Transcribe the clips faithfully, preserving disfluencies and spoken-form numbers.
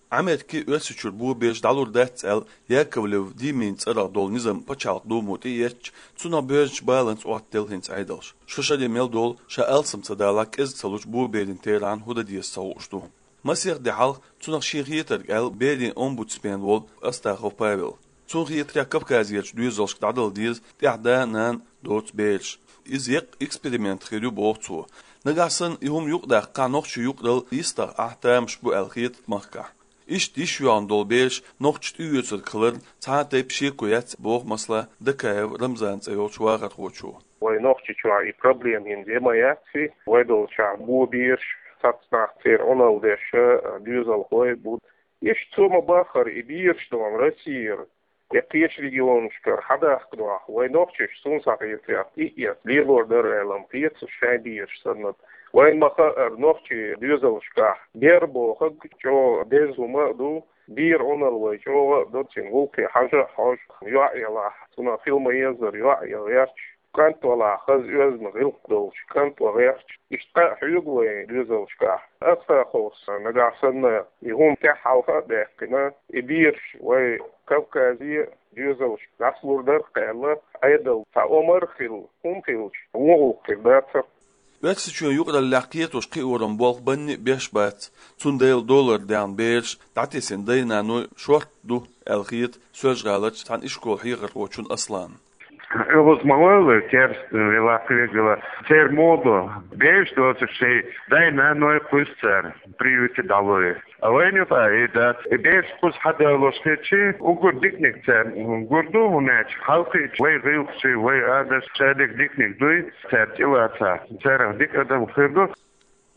Америкин Оьрсийчуьра бобераш дӀалур дац аьлла, Яковлев Димин цӀерагӀа долу низам пачхьалкхан Думо тӀеэцча, цунах боьрзучу баланца Ӏоттаделла хӀинца Ӏедалш. Шо шаре мел долу, ша алсам ца далахь, кӀезиг ца лучу боберийн терахьна хӀун дан деза ца хууш ду. Масех де хьалха цунах шен хетарг аьлла берийн омбудсмен волу Астахов Павел. Цунна хетарехь, Кавказерчу доьзалшка дӀадала деза тӀехь да-нана доцу бераш. Иза еккъа эксперимент хир ю, боху цо. Нагахь санна и хӀума юкъадаккхахь, нохчийн юкъаралла йистехь ахь тамаш бу аьлла хета махкахь. Иштта йиш йоьхна долу бераш нохчаша тӀеоьцург хиларна цхьа а тайпа шеко яц, боху масала Дакаев Рамзан цӀе йолчу вахархочо. Вай Нохчийчохь и проблема хӀинца ма яц, вай долчохь бобераш, цхьацца нах, церан Ӏуналла деш, доьзалхой бу. Иштта цо ма-баххара и бераш долу Россера, я кхечу регионашкара хьадахка дохь, вай нохчаша, суна схьахетарехь, тӀеэцна лелор дара аьлла-м хета шайн бераш санна. Вайна ма-хаъара, нохчийн доьзалшкахь бер бохург чӀогӀа деза хӀума а ду, беран Ӏуналла вай чӀогӀа а до, цуьнан гӀуллакхе хьажа а хьожу, йоӀ ялахь, цунах хила ма-еззара йоӀ яла гӀерташ, кӀант валахь, хаза оьзда гӀиллакх долчу кӀант ван гӀерташ, иштта кхаъ хьоьгу вайн доьзалшкахь. Астаховс нагахь санна и хӀума тӀаьхьа хьалха а даьккхина, и бераш вай Кавказе доьзалшка дӀасалур дара-кх аьлла, Ӏедална цхьа омра а хилла, хӀума хилча, вон гӀуллакх хир дацара. Оьрсийчоьнан юкъараллехь кхетош кхиоран болх банне а беш бац, цундела долара даьхна бераш дӀатесна дай-наной шортта ду аьлла хета Соьлжа-ГӀаларчу цхьана ишколан хьехархочунна Асланна. ОьгӀаз ма войла, керста вела, кхевелла, церан муха ду, бераш доцург шайн дай-наной кхуьссу цара, приюте дӀалой. А вайна юкъахь и дац, и бераш кхуза хьадалош хилча, уггар диканиг царна гур ду, хӀунда аьлча хьалхийча вай гӀиллакхаш, вай адаташ шадерг диканиг дуй, цара тӀелацахь, царах дика адам хир ду.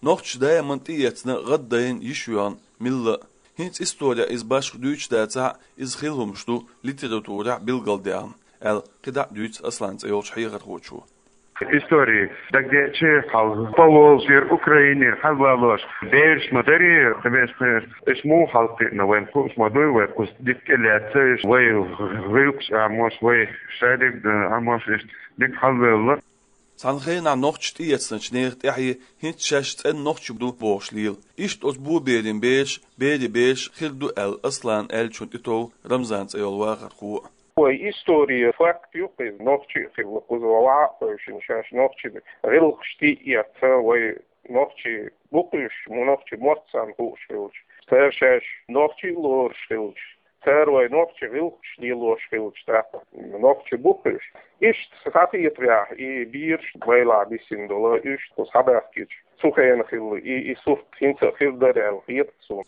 Нохчаша даиман тӀеэцна, гӀаддайна, йиш йоьхна милла а. ХӀинца исторехь иза башха дуьйцуш дацахь а, иза хилла хӀумаш ду литературехь билгалдаьхна, аьлла, кхидӀа а дуьйцу Аслан цӀе йолчу хьехархочо. Истори дагадеъча, хьалха Поволжьера, Украинера хьалавалош бераш ма дарий, вешан, уьш муха хьалакхиъна, вайна хууш ма дуй, вай кхуза дика тӀелаьцна, вай гӀиллакхаш Ӏамош, вай шадерг Ӏамош, иштта дика хьалавелла. Цхьана хенахь нохчаша тӀеэцначу нехан тӀаьхье хӀинца шаьш цӀена нохчий ду бохуш лела. Иштта оцу боберийн бераш, берийн бераш хир ду аьлла, Асланна аьллачунна тӀетов Рамзан цӀе йолу вахархо а. Вай историн факт ю-кх иза, нохчий а хилла кхуза, вай ваха а хевшина, шаьш нохчийн гӀиллакхаш тӀеэцна, вай нохчий бу-кх уьш, нохчийн мотт царна хууш хилча, цара шаьш нохчий а лоруш хилча, цара вай нохчийн гӀиллакхаш лелош хилча, тӀаккха нохчий бу-кх уьш. Иштта схьахетарехь, и бераш байлахь бисина долу, уьш кхуза схьабаьхкича, цу хенахь хилла и, и сурт хӀинца а хир дара аьлла хета суна.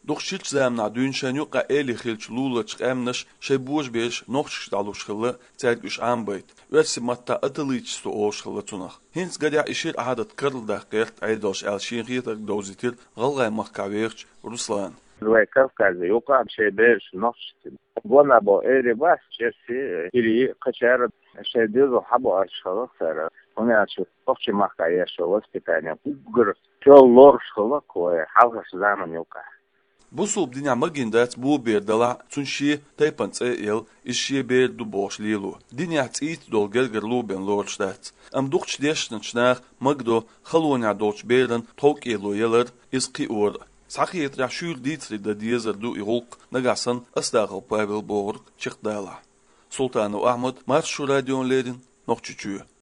Дукха ширачу заманахь дуьйна шайна юкъахь эли хиллачу луларчу къаьмнаша шайн божабераш нохчашка дӀалуш хилла, цаьрга уьш Ӏамабайта. Оьрсийн маттахь аталитичество олуш хилла цунах. ХӀинца, гарехь, и шира Ӏадат карладаккха гӀерта Ӏедалша аьлла, шен хетарг довзийтира ГӀалгӀай махкахь вехачу Руслана. Вай Кавказе юкъахь шайн бераш нохчашца. Бон а бо эри бац, чӀерси, хӀирий, кхачара шайн доьзал хьабоуьйтуш хилла-кх цара. ХӀунда аьлча нохчийн махкахь еш йолу воспитание уггар чӀогӀа лоруш хилла-кх вай хьалхарчу заманна юкъахь. Бусалба динехь магийна дац бобер далахь а, цунна шен тайпана цӀе а елла, иза шен бер ду бохуш лело. Динехь цӀийца долу гергарло бен лоруш дац. Амма дукхачу дешначу наха магадо халонехь долчу беран тховкӀело ялар, иза кхиор а. Схьахетарехь, шуьйра дийцаре дан дезар ду и гӀуллакх, нагахь санна Астахов Павел бохург чекхдалахь. Султанов Ахьмад, Маршо радиона леррина, Нохчийчоь.